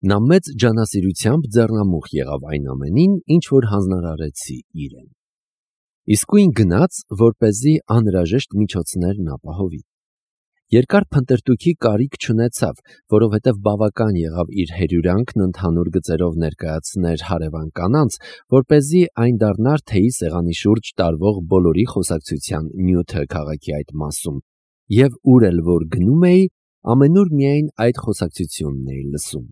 Նա մեծ ջանասիրությամբ ձեռնամուխ եղավ այն ամենին, ինչ որ հանձնարարեցի իրեն։ Իսկույն գնաց, որպեսզի անհրաժեշտ միջոցներն ապահովի։ Երկար փնտրտուքի կարիք չունեցավ, որովհետև բավական եղավ իր հերյուրանքն ընդհանուր գծերով ներկայացներ հարևան կանանց, որպեսզի այն դառնար թեյի սեղանի շուրջ տարվող բոլորի խոսակցության նյութը քաղաքի այդ մասում, եւ ուր էլ որ գնում էի, ամենուր միայն այդ խոսակցությունն էի լսում։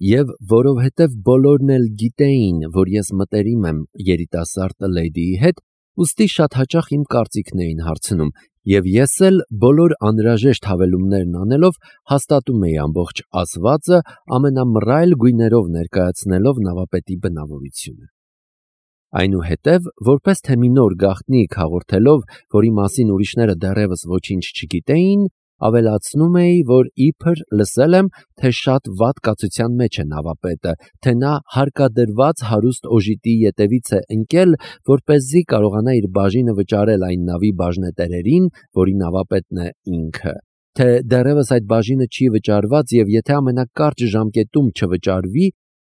Եվ որովհետև բոլորն էլ գիտեին, որ ես մտերիմ եմ երիտասարդ լեդիի հետ, ուստի շատ հաճախ իմ կարծիքն էին հարցնում, եւ ես էլ բոլոր անհրաժեշտ հավելումներն անելով հաստատում էի ամբողջ ասվածը ամենամռայլ գույներով ներկայացնելով նավապետի բնավորությունը։ Այնուհետև, որպես թե մի նոր գաղտնիք հաղորդելով, որի մասին ուրիշները դեռևս ոչինչ չգիտեին, ավելացնում էի, որ իբր լսել եմ, թե շատ վատ կացության մեջ է նավապետը, թե նա հարկադրված հարուստ օժիտի ետևից է ընկել, որպեսզի կարողանա իր բաժինը վճարել այն նավի բաժնետերերին, որի նավապետն է ինքը, թե դեռևս այդ բաժինը չի վճարված եւ եթե ամենակարճ ժամկետում չվճարվի,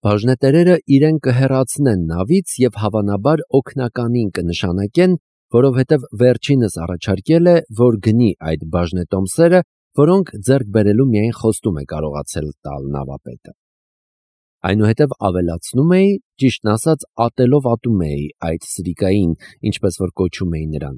բաժնետերերը իրեն կհեռացնեն նավից եւ հավանաբար օգնականին կնշանակեն, որովհետև վերջինս առաջարկել է, որ գնի այդ բաժնետոմսերը, որոնք ձեռք բերելու միայն խոստում է կարողացել տալ նավապետը։ Այնուհետև ավելացնում էի, ճիշտն ասած, ատելով ատում էի այդ սրիկային, ինչպես որ կոչում էի նրան,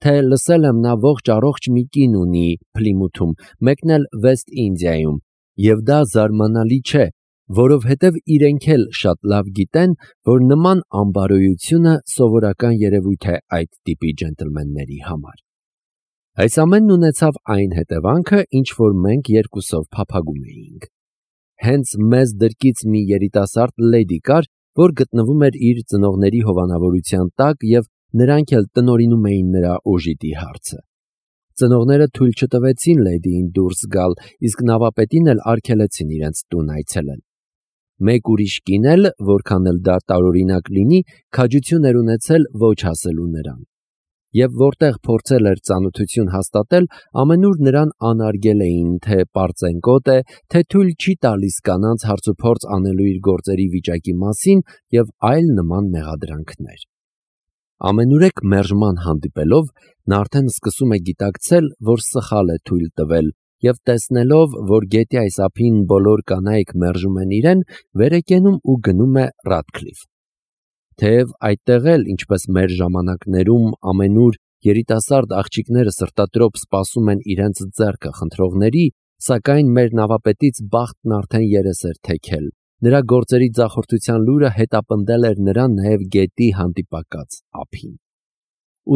թե լսել եմ նա ողջ առողջ մի կին ունի Փլիմութում, մեկն էլ Վեստ Ինդիայում, եւ դա զարմանալի չէ, որովհետև իրենք էլ շատ լավ գիտեն, որ նման ամբարոյությունը սովորական երևույթ է այդ տիպի ջենտլմենների համար։ Այս ամենն ունեցավ այն հետևանքը, ինչ որ մենք երկուսով փափագում էինք։ Հենց մեզ դրկից մի երիտասարդ լեդի կար, որ գտնվում էր իր ծնողների հովանավորության տակ եւ նրանք էլ տնօրինում էին նրա օժիտի հարցը։ Ծնողները թույլ չտվեցին լեդիին դուրս գալ, իսկ նավապետին էլ արգելեցին իրենց տուն այցելել։ Մեկ ուրիշ կին էլ, որքան էլ դա տարօրինակ լինի, քաջություն էր ունեցել ոչ հասելու նրան։ Եվ որտեղ փորձել էր ծանոթություն հաստատել, ամենուր նրան անարգել էին, թե պարծենկոտ է, թե թույլ չի տալիս կանանց հարցուփորձ անելու իր գործերի վիճակի մասին եւ այլ նման մեղադրանքներ։ Ամենուրեք մերժման հանդիպելով, նա արդեն սկսում է գիտակցել, որ սխալ է թույլ տվել, եւ տեսնելով, որ գետի այս ափին բոլոր կանայք մերժում են իրեն, վեր է կենում ու գնում է Ռադքլիֆ։ Թեև այդտեղ էլ, ինչպես մեր ժամանակներում ամենուր երիտասարդ աղջիկները սրտատրոփ սպասում են իրենց ձեռքը խնդրողների, սակայն մեր նավապետից բախտն արդեն երես էր թեքել։ Նրա գործերի ձախորդության լուրը հետապնդել էր նրան նաև գետի հանդիպակաց ափին։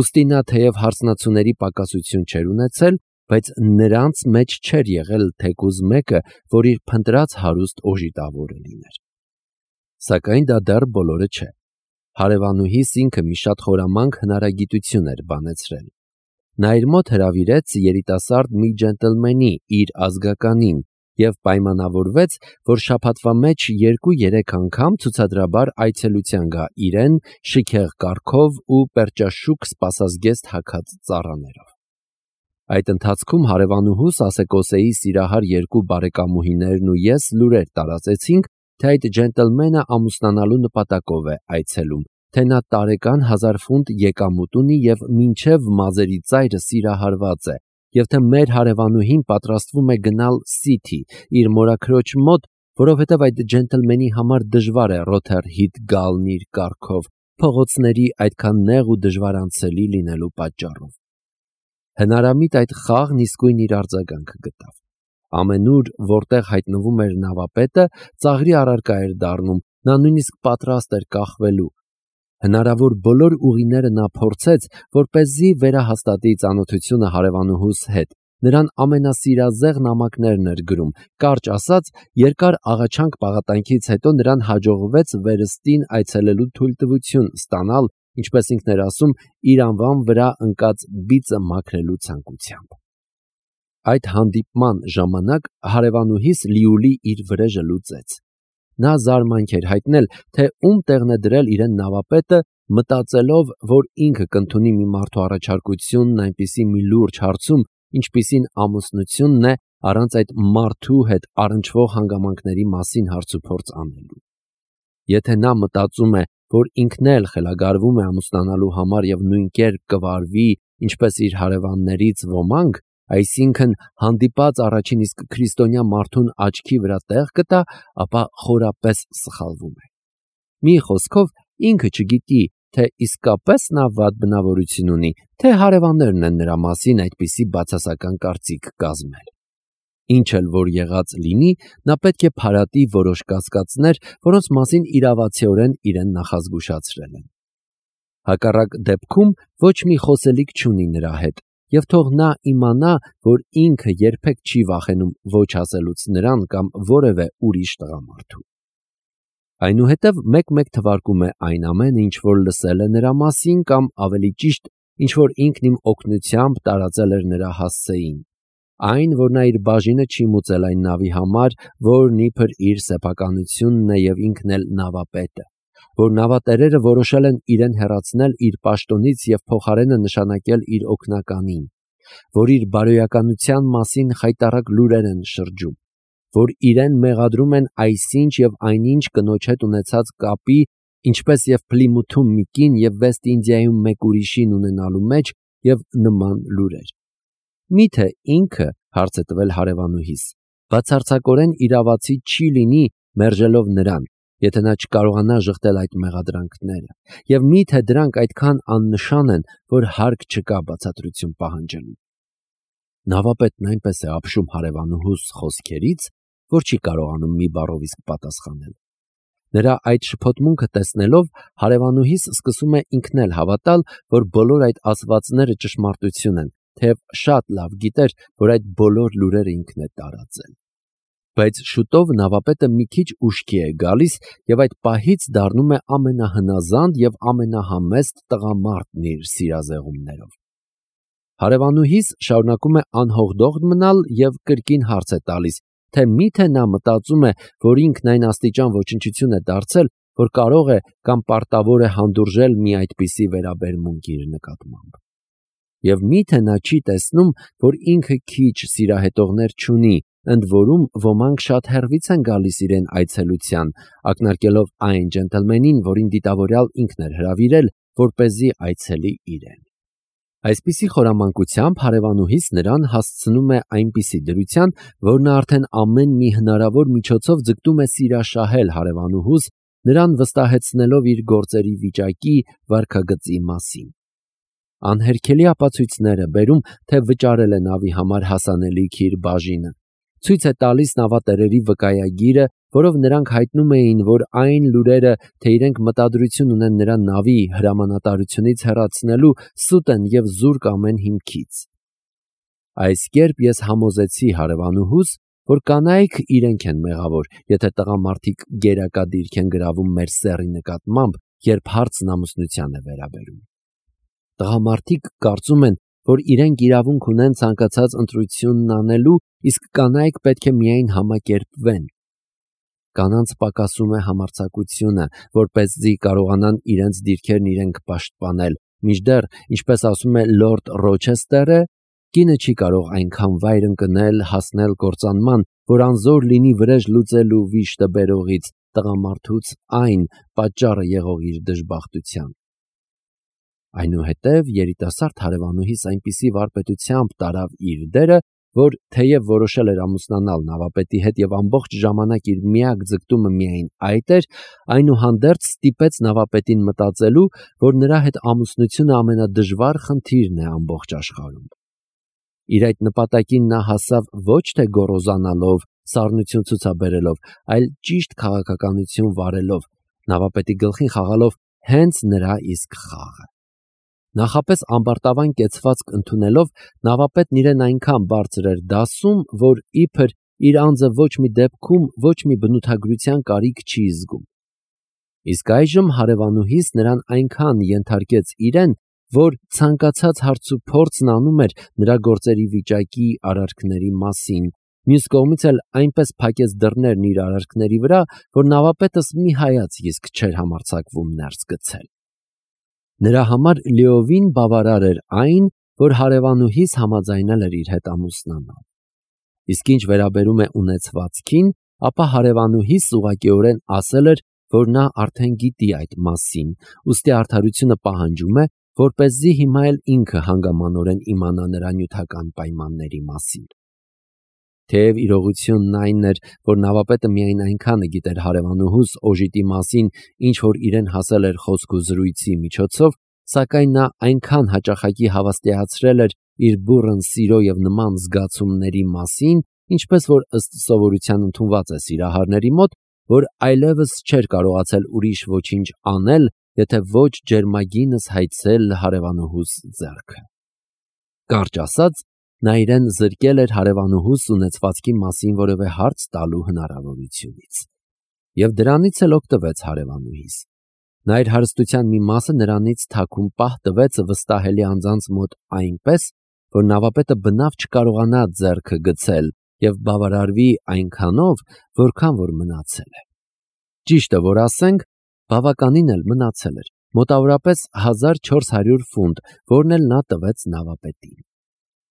Ուստի նա թեև հարսնացուների պակասություն չէր ունեցել, բայց նրանց մեջ չէր եղել թեկուզ մեկը, որ իր փնտրած հարուստ օժիտավորը լիներ։ Սակայն դա դեռ բոլորը չէ։ Հարևանուհիս ինքը մի շատ խորամանկ հնարագիտություն էր բանեցրել։ Նա իր մոտ հրավիրեց երիտասարդ մի ջենտլմենի, իր ազգականին, եւ պայմանավորվեց, որ շաբաթվա մեջ 2-3 անգամ ցուցադրաբար այցելության գա իրեն շիքեղ կառքով ու պերճաշուք սպասազգեստ հագած ծառաներով։ Այդ ընթացքում հարևանուհուս Ասեկոսեի սիրահար երկու բարեկամուհիներն ու ես լուրեր տարածեցինք, թե այդ ջենտլմենը ամուսնանալու նպատակով է այցելում, թե նա տարեկան 1000 ֆունտ եկամուտ ունի եւ մինչեւ մազերի ծայրը սիրահարված է, եւ թե մեր հարևանուհին պատրաստվում է գնալ Սիթի, իր մորաքրոջ մոտ, որովհետեւ այդ ջենտլմենի համար դժվար է Ռոթերհիթ գալն իր կառքով, փողոցների այդքան նեղ ու դժվարանցելի լինելու պատճառով։ Հնարամիտ այդ խաղն իսկույն իր արձագանքը գտավ։ Ամենուր, որտեղ հայտնվում էր նավապետը, ծաղրի առարկա էր դառնում, նա նույնիսկ պատրաստ էր կախվելու։ Հնարավոր բոլոր ուղիները նա փորձեց, որպեսզի վերահաստատի ծանոթությունը հարևանուհուս հետ։ Նրան ամենասիրազեղ նամակներն էր գրում, կարճ ասած, երկար աղաչանք պաղատանքից հետո նրան հաջողվեց վերստին այցելելու թույլտվություն ստանալ, ինչպես ինքն էր ասում, իր անվան վրա ընկած բիծը մաքրելու ցանկությամբ։ Այդ հանդիպման ժամանակ հարևանուհիս լիուլի իր վրեժը լուծեց։ Նա զարմանք էր հայտնել, թե ում տեղն է դրել իրեն նավապետը, մտածելով, որ ինքը կընդունի մի մարդու առաջարկությունն այնպիսի մի լուրջ հարցում, ինչպիսին ամուսնությունն է, առանց այդ մարդու հետ առնչվող հանգամանքների մասին հարցուփորձ անելու։ Եթե նա մտածում է, որ ինքն էլ խելագարվում է ամուսնանալու համար եւ նույն կերպ կվարվի, ինչպես իր հարևաններից ոմանք, այսինքն հանդիպած առաջին իսկ քրիստոնյա մարդուն աչքի վրա տեղ կտա, ապա խորապես սխալվում է։ Մի խոսքով, ինքը չգիտի, թե իսկապես նա վատ բնավորություն ունի, թե հարևաններն են նրա մասին այդպիսի բացասական կարծիք կազմել։ Ինչ էլ որ եղած լինի, նա պետք է փարատի որոշ կասկածներ, որոնց մասին իրավացիորեն իրեն նախազգուշացրել են։ Հակառակ դեպքում ոչ մի խոսելիք չունի նրա հետ, եւ թող նա իմանա, որ ինքը երբեք չի վախենում ոչ ասելուց նրան կամ որևէ ուրիշ տղամարդու։ Այնուհետև մեկ-մեկ թվարկում է այն ամենը, ինչ որ լսել է նրա մասին, կամ ավելի ճիշտ, ինչ որ ինքն իմ օգնությամբ տարածել էր նրա հասցեին։ Այն, որ նա իր բաժինը չի մուծել այն նավի համար, որն իբր իր սեփականությունն է եւ ինքն էլ նավապետը, որ նավատերերը որոշել են իրեն հեռացնել իր պաշտոնից եւ փոխարենը նշանակել իր օգնականին, որ իր բարոյականության մասին խայտառակ լուրեր են շրջում, որ իրեն մեղադրում են այսինչ եւ այնինչ կնոջ հետ ունեցած կապի, ինչպես եւ Փլիմութում մի կին եւ Վեստ Ինդիայում մեկ ուրիշին ունենալու մեջ եւ նման լուրեր։ Միթե ինքը, հարց է տվել հարևանուհիս, բացարձակորեն իրավացի չի լինի մերժելով նրան, եթե նա չկարողանա ժխտել այդ մեղադրանքները, եւ միթե դրանք այդքան աննշան են, որ հարկ չկա բացատրություն պահանջելու։ Նավապետն այնպես է ապշում հարևանուհուս խոսքերից, որ չի կարողանում մի բառով իսկ պատասխանել։ Նրա այդ շփոթմունքը տեսնելով, հարևանուհիս սկսում է ինքն էլ հավատալ, որ բոլոր այդ ասվածները ճշմարտություն են, թեև շատ լավ գիտեր, որ այդ բոլոր լուրերը ինքն է տարածել։ Բայց շուտով նավապետը մի քիչ ուշքի է գալիս եւ այդ պահից դառնում է ամենահնազանդ եւ ամենահամեստ տղամարդն իր սիրազեղումներով։ Հարևանուհիս շարունակում է անհողդողդ մնալ եւ կրկին հարց է տալիս, թե միթե նա մտածում է, որ ինքն այն աստիճան ոչնչություն է դարձել, որ կարող է կամ պարտավոր է հանդուրժել մի այդպիսի վերաբերմունք իր նկատմամբ։ Եվ միթե նա չի տեսնում, որ ինքը քիչ սիրահետողներ չունի, ընդ որում ոմանք շատ հեռվից են գալիս իրեն այցելության, ակնարկելով այն ջենտլմենին, որին դիտավորյալ ինքն էր հրավիրել, որպեսզի այցելի իրեն։ Այսպիսի խորամանկությամբ հարևանուհիս նրան հասցնում է այնպիսի դրության, որ նա արդեն ամեն մի հնարավոր միջոցով ձգտում է սիրաշահել հարևանուհուս, նրան վստահեցնելով իր գործերի վիճակի վարքագծի մասին։ Անհերքելի ապացույցներ է բերում, թե վճարել է նավի համար հասանելիք իր բաժինը։ Ցույց է տալիս նավատերերի վկայագիրը, որով նրանք հայտնում էին, որ այն լուրերը, թե իրենք մտադրություն ունեն նրա նավի հրամանատարությունից հեռացնելու, սուտ են եւ զուրկ ամեն հիմքից։ Այս կերպ ես համոզեցի հարևանուհուս, որ կանայք իրենք են մեղավոր, եթե տղամարդիկ գերակա դիրք են գրավում մեր սեռի նկատմամբ, երբ հարցն ամուսնության է վերաբերում։ Տղամարդիկ կարծում են, որ իրենք իրավունք ունեն ցանկացած ընտրությունն անելու, իսկ կանայք պետք է միայն համակերպվեն։ Կանանց պակասում է համարձակությունը, որպեսզի կարողանան իրենց դիրքերն իրենք պաշտպանել, մինչդեռ, ինչպես ասում է Լորդ Ռոչեսթերը, կինը չի կարող այնքան վայր ընկնել, հասնել կործանման, որ անզոր լինի վրեժ լուծելու վիշտը բերողից, տղամարդուց այն պատճառը եղող իր դժբախտության։ Այնուհետև երիտասարդ հարևանուհիս այնպիսի վարպետությամբ տարավ իր դերը, որ թեև որոշել էր ամուսնանալ նավապետի հետ եւ ամբողջ ժամանակ իր միակ ձգտումը միայն այդ էր, այնուհանդերձ ստիպեց նավապետին մտածելու, որ նրա հետ ամուսնությունը ամենադժվար խնդիրն է ամբողջ աշխարհում։ Իր այդ նպատակին նա հասավ ոչ թե գոռոզանալով, սառնություն ցուցաբերելով, այլ ճիշտ քաղաքականություն վարելով, նավապետի գլխին խաղալով հենց նրա իսկ խաղը։ Նախապես ամբարտավան կեցվածք ընդունելով, նավապետն իրեն այնքան բարձր էր դասում, որ իբր իր անձը ոչ մի դեպքում ոչ մի բնութագրության կարիք չի զգում։ Իսկ այժմ հարևանուհիս նրան այնքան ենթարկեց իրեն, որ ցանկացած հարցուփորձն անում էր նրա գործերի վիճակի, արարքների մասին, մյուս կողմից էլ այնպես փակեց դռներն իր արարքների վրա, որ նավապետս մի հայացք իսկ չէր համարձակվում ներս գցել։ Նրա համար լիովին բավարար էր այն, որ հարևանուհիս համաձայնել էր իր հետ ամուսնանալ։ Իսկ ինչ վերաբերում է ունեցվածքին, ապա հարևանուհիս ուղղակիորեն ասել էր, որ նա արդեն գիտի այդ մասին, ուստի արդարությունը պահանջում է, որպեսզի հիմա էլ ինքը հանգամանորեն իմանա նրա նյութական պայմանների մասին։ Թեև իրողությունն այն էր, որ նավապետը միայն այնքանը գիտեր հարևանուհուս օժիտի մասին, ինչ որ իրեն հասել էր խոսք ու զրույցի միջոցով, սակայն նա այնքան հաճախակի հավաստիացրել էր իր բուռն սիրո եւ նման զգացումների մասին, ինչպես որ ըստ սովորության ընդունված է սիրահարների մոտ, որ այլևս չէր կարողացել ուրիշ ոչինչ անել, եթե ոչ ջերմագինս հայցել հարևանուհուս ձեռքը։ Կարճ ասած, նա իրեն զրկել էր հարևանուհուս ունեցվածքի մասին որևէ հարց տալու հնարավորությունից։ Եվ դրանից էլ օգտվեց հարևանուհիս։ Նա իր հարստության մի մասը նրանից թաքուն պահ տվեց վստահելի անձանց մոտ այնպես, որ նավապետը բնավ չկարողանա ձեռքը գցել եւ բավարարվի այնքանով, որքան որ մնացել է։ Ճիշտը որ ասենք, բավականին էլ մնացել էր, մոտավորապես 1400 ֆունտ, որն էլ նա տվեց նավապետին։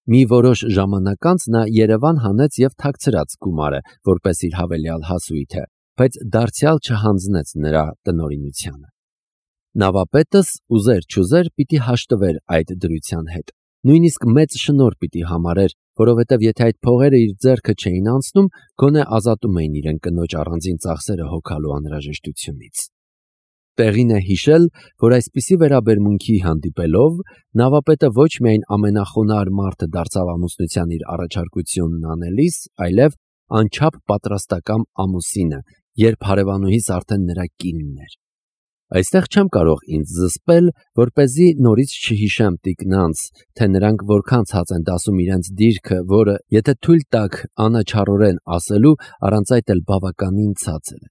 Մի որոշ ժամանակ անց նա Երևան հանեց եւ թաքցրած գումարը, որպես իր հավելյալ հասույթը, բայց դարձյալ չհանձնեց նրա տնօրինությանը։ Նավապետս ուզեր չուզեր պիտի հաշտվեր այդ դրության հետ, նույնիսկ մեծ շնորհ պիտի համարեր, որովհետև եթե այդ փողերը իր ձեռքը չէին անցնում, գոնե ազատում էին իրեն կնոջ առանձին ծախսերը հոգալու անհրաժեշտությունից։ Տեղին է հիշել, որ այսպիսի վերաբերմունքի հանդիպելով նավապետը ոչ միայն ամենախոնարհ մարդը դարձավ ամուսնության իր առաջարկությունն անելիս, այլև անչափ պատրաստակամ ամուսինը, երբ հարևանուհիս արդեն նրա կինն էր։ Այստեղ չեմ կարող ինձ զսպել, որպեսզի նորից չհիշեմ տիկնանց, թե նրանք որքան ցած են դասում իրենց դիրքը, որը, եթե թույլ տաք անաչառորեն ասելու, առանց այդ էլ բավականին ցածր է։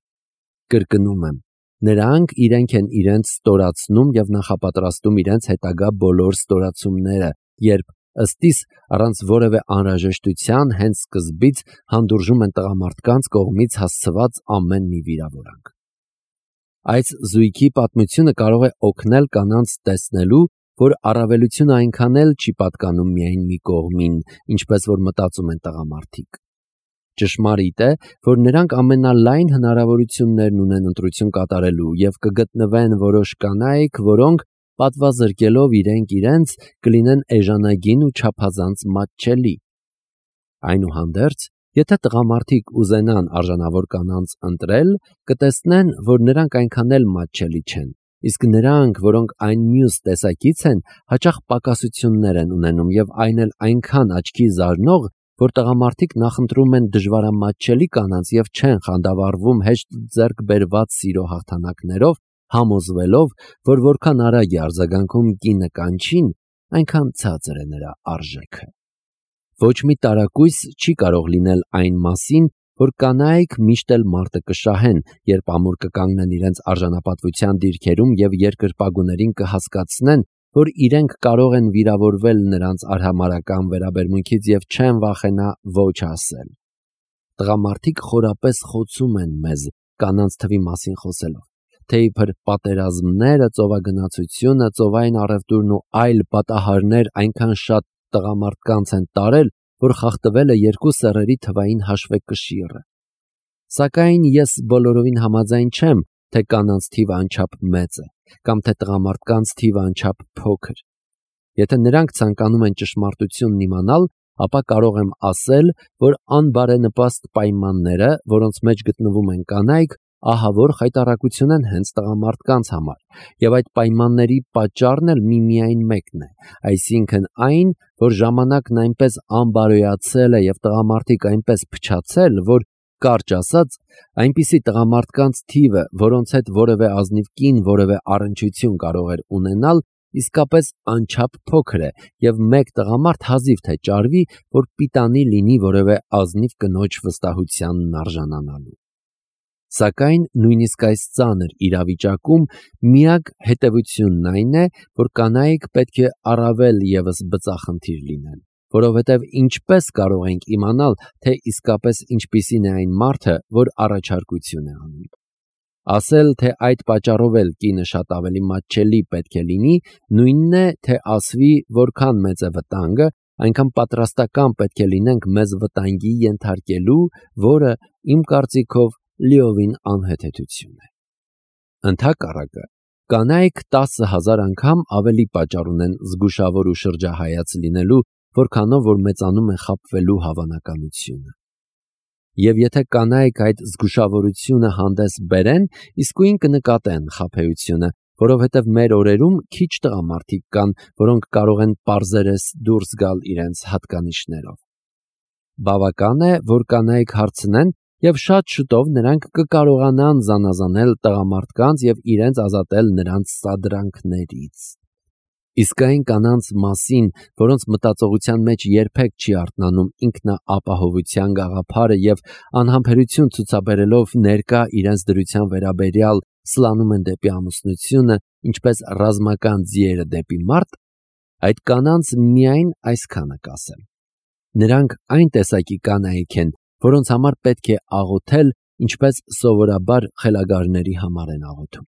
Կրկնում եմ, նրանք իրենք են իրենց ստորացնում եւ նախապատրաստում իրենց հետագա բոլոր ստորացումները, երբ ըստիս առանց որևէ անհրաժեշտության հենց սկզբից հանդուրժում են տղամարդկանց կողմից հասցված ամեն մի վիրավորանք։ Այս զույգի պատմությունը կարող է օգնել կանանց տեսնելու, որ առավելությունը այնքան էլ չի պատկանում միայն մի կողմին, ինչպես որ մտածում են տղամարդիկ։ Ճշմարիտ է, որ նրանք ամենալայն հնարավորություններն ունեն ընտրություն կատարելու եւ կգտնվեն որոշ կանայք, որոնք պատվազրկելով իրենք իրենց կլինեն էժանագին ու չափազանց մատչելի։ Այնուհանդերձ, եթե տղամարդիկ ուզենան արժանավոր կանանց ընտրել, կտեսնեն, որ նրանք այնքան էլ մատչելի չեն, իսկ նրանք, որոնք այն մյուս տեսակից են, հաճախ պակասություններ են ունենում եւ այն էլ այնքան աչքի զարնող, որ տղամարդիկ նախընտրում են դժվարամատչելի կանանց եւ չեն խանդավառվում հեշտ ձեռք բերված սիրո հաղթանակներով, համոզվելով, որ որքան արագ է արձագանքում կինը կանչին, այնքան ցածր է նրա արժեքը։ Ոչ մի տարակույս չի կարող լինել այն մասին, որ կանայք միշտ էլ մարտը կշահեն, երբ ամուր կկանգնեն իրենց արժանապատվության դիրքերում եւ երկրպագուներին կհասկացնեն, որ իրենք կարող են վիրավորվել նրանց արհամարհական վերաբերմունքից եւ չեն վախենա ոչ ասել։ Տղամարդիկ խորապես խոցում են մեզ կանանց թվի մասին խոսելով, թե իբր պատերազմները, ծովագնացությունը, ծովային առևտուրն ու այլ պատահարներ այնքան շատ տղամարդկանց են տարել, որ խախտվել է երկու սեռերի թվային հաշվեկշիռը։ Սակայն ես բոլորովին համաձայն չեմ, թե կանանց թիվը անչափ մեծ է, կամ թե տղամարդկանց թիվը անչափ փոքր։ Եթե նրանք ցանկանում են ճշմարտությունն իմանալ, ապա կարող եմ ասել, որ անբարենպաստ պայմանները, որոնց մեջ գտնվում են կանայք, ահավոր խայտառակություն են հենց տղամարդկանց համար, եւ այդ պայմանների պատճառն էլ միմիայն մեկն է, այսինքն այն, որ ժամանակն այնպես անբարոյացել է եւ տղամարդիկ այնպես փչացել, որ կարճ ասած, այնպիսի տղամարդկանց թիվը, որոնց հետ որևէ ազնիվ կին որևէ առնչություն կարող էր ունենալ, իսկապես անչափ փոքր է եւ մեկ տղամարդ հազիվ թե ճարվի, որ պիտանի լինի որևէ ազնիվ կնոջ վստահությանն արժանանալու։ Սակայն նույնիսկ այս ծանր իրավիճակում միակ հետևությունն այն է, որ կանայք պետք է առավել եւս բծախնդիր լինեն, որովհետեւ ինչպես կարող ենք իմանալ, թե իսկապես ինչպիսին է այն մարդը, որ առաջարկություն է անում։ Ասել, թե այդ պատճառով էլ կինը շատ ավելի մատչելի պետք է լինի, նույնն է, թե ասվի, որքան մեծ է վտանգը, այնքան պատրաստական պետք է լինենք մեզ վտանգի ենթարկելու, որը իմ կարծիքով լիովին անհեթեթություն է։ Ընդհակառակը, կանայք 10,000 անգամ ավելի պատճառ ունեն զգուշավոր ու շրջահայաց լինելու, որքանով որ մեծանում է խաբվելու հավանականությունը։ Եվ եթե կանայք այդ զգուշավորությունը հանդես բերեն, իսկույն կնկատեն խաբեությունը, որովհետև մեր օրերում քիչ տղամարդիկ կան, որոնք կարող են պարզերես դուրս գալ իրենց հատկանիշներով։ Բավական է, որ կանայք հարցնեն, եւ շատ շուտով նրանք կկարողանան զանազանել տղամարդկանց եւ իրենց ազատել նրանց սադրանքներից։ Իսկ այն կանանց մասին, որոնց մտածողության մեջ երբեք չի արթնանում ինքնաապահովության գաղափարը եւ անհամբերություն ցուցաբերելով ներկա իրենց դրության վերաբերյալ սլանում են դեպի ամուսնությունը, ինչպես ռազմական ձիերը դեպի մարդ, այդ կանանց միայն այսքանը կասեմ. նրանք այն տեսակի կանայք են, որոնց համար պետք է աղոթել, ինչպես սովորաբար խելագարների համար են աղոթում։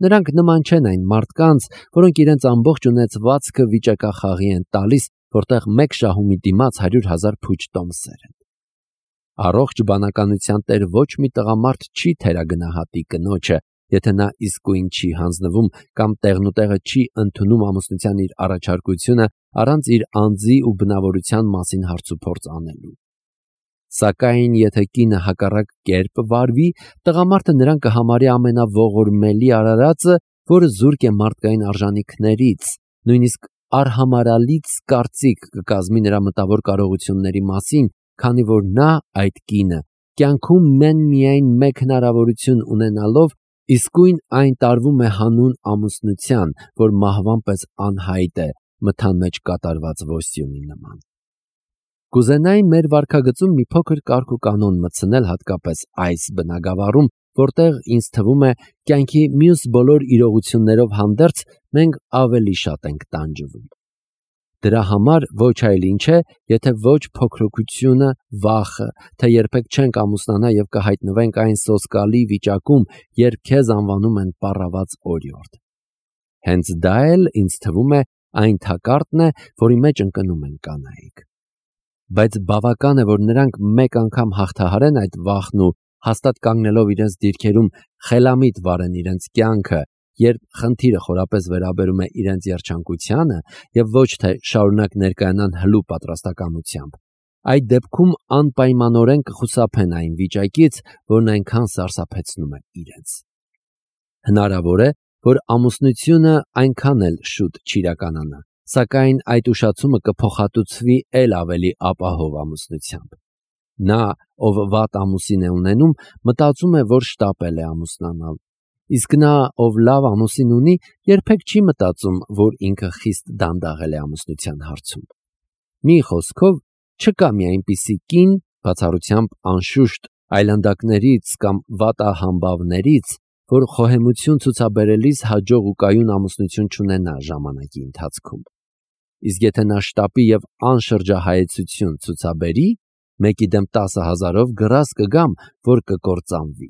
Նրանք նման չեն այն մարդկանց, որոնք իրենց ամբողջ ունեցվածքը վիճակախաղի են տալիս, որտեղ մեկ շահումի դիմաց 100,000 փուչ տոմսեր են։ Առողջ բանականության տեր ոչ մի տղամարդ չի թերագնահատի կնոջը, եթե նա իսկույն չի հանձնվում կամ տեղնուտեղը չի ընդունում ամուսնության իր առաջարկությունը առանց իր անձի ու բնավորության մասին հարցուփորձ անելու։ Սակայն եթե կինը հակառակ կերպ վարվի, տղամարդը նրան կհամարի ամենաողորմելի արարածը, որը զուրկ է մարդկային արժանինքներից, նույնիսկ արհամարալից կարծիք կկազմի նրա մտավոր կարողությունների մասին, քանի որ նա, այդ կինը, կյանքում միայն մեկ հնարավորություն ունենալով, իսկույն այն տարվում է հանուն ամուսնության, որ մահվան պես անհայտ է մթան մեջ կատարված ոստյունի նման։ Կուզենայի մեր վարքագծում մի փոքր կարգ ու կանոն մտցնել հատկապես այս բնագավառում, որտեղ ինձ թվում է կյանքի մյուս բոլոր իրողություններով հանդերձ մենք ավելի շատ ենք տանջվում։ Դրա համար ոչ այլ ինչ է, եթե ոչ փոքրοκությունը, վախը, թե երբեք չենք ամուսնանա եւ կհայտնվենք այն սոսկալի վիճակում, երբ քեզ անվանում են պառաված օրիորդ։ Հենց դա էլ ինձ թվում է այն թակարդն է, որի մեջ ընկնում են կանայք։ Բայց բավական է, որ նրանք մեկ անգամ հաղթահարեն այդ վախն ու հաստատ կանգնելով իրենց դիրքերում խելամիտ վարեն իրենց կյանքը, երբ խնդիրը խորապես վերաբերում է իրենց երջանկությանը եւ ոչ թե շարունակ ներկայանան հլու պատրաստակամությամբ, այդ դեպքում անպայմանորեն կխուսափեն այն վիճակից, որն այնքան սարսափեցնում է իրենց։ Հնարավոր է, որ ամուսնությունը այնքան էլ շուտ չիրականանա, սակայն այդ ուշացումը կփոխհատուցվի էլ ավելի ապահով ամուսնությամբ։ Նա, ով վատ ամուսին է ունենում, մտածում է, որ շտապել է ամուսնանալ, իսկ նա, ով լավ ամուսին ունի, երբեք չի մտածում, որ ինքը խիստ դանդաղել է ամուսնության հարցում։ Մի խոսքով, չկա մի այնպիսի կին, բացառությամբ անշուշտ այլանդակներից կամ վատահամբավներից, որ խոհեմություն ցուցաբերելիս հաջող ու կայուն ամուսնություն չունենա ժամանակի ընթացքում։ Իսկ եթե նա շտապի եւ անշրջահայեցություն ցուցաբերի, մեկի դեմ 10,000-ով գրազ կգամ, որ կկործանվի։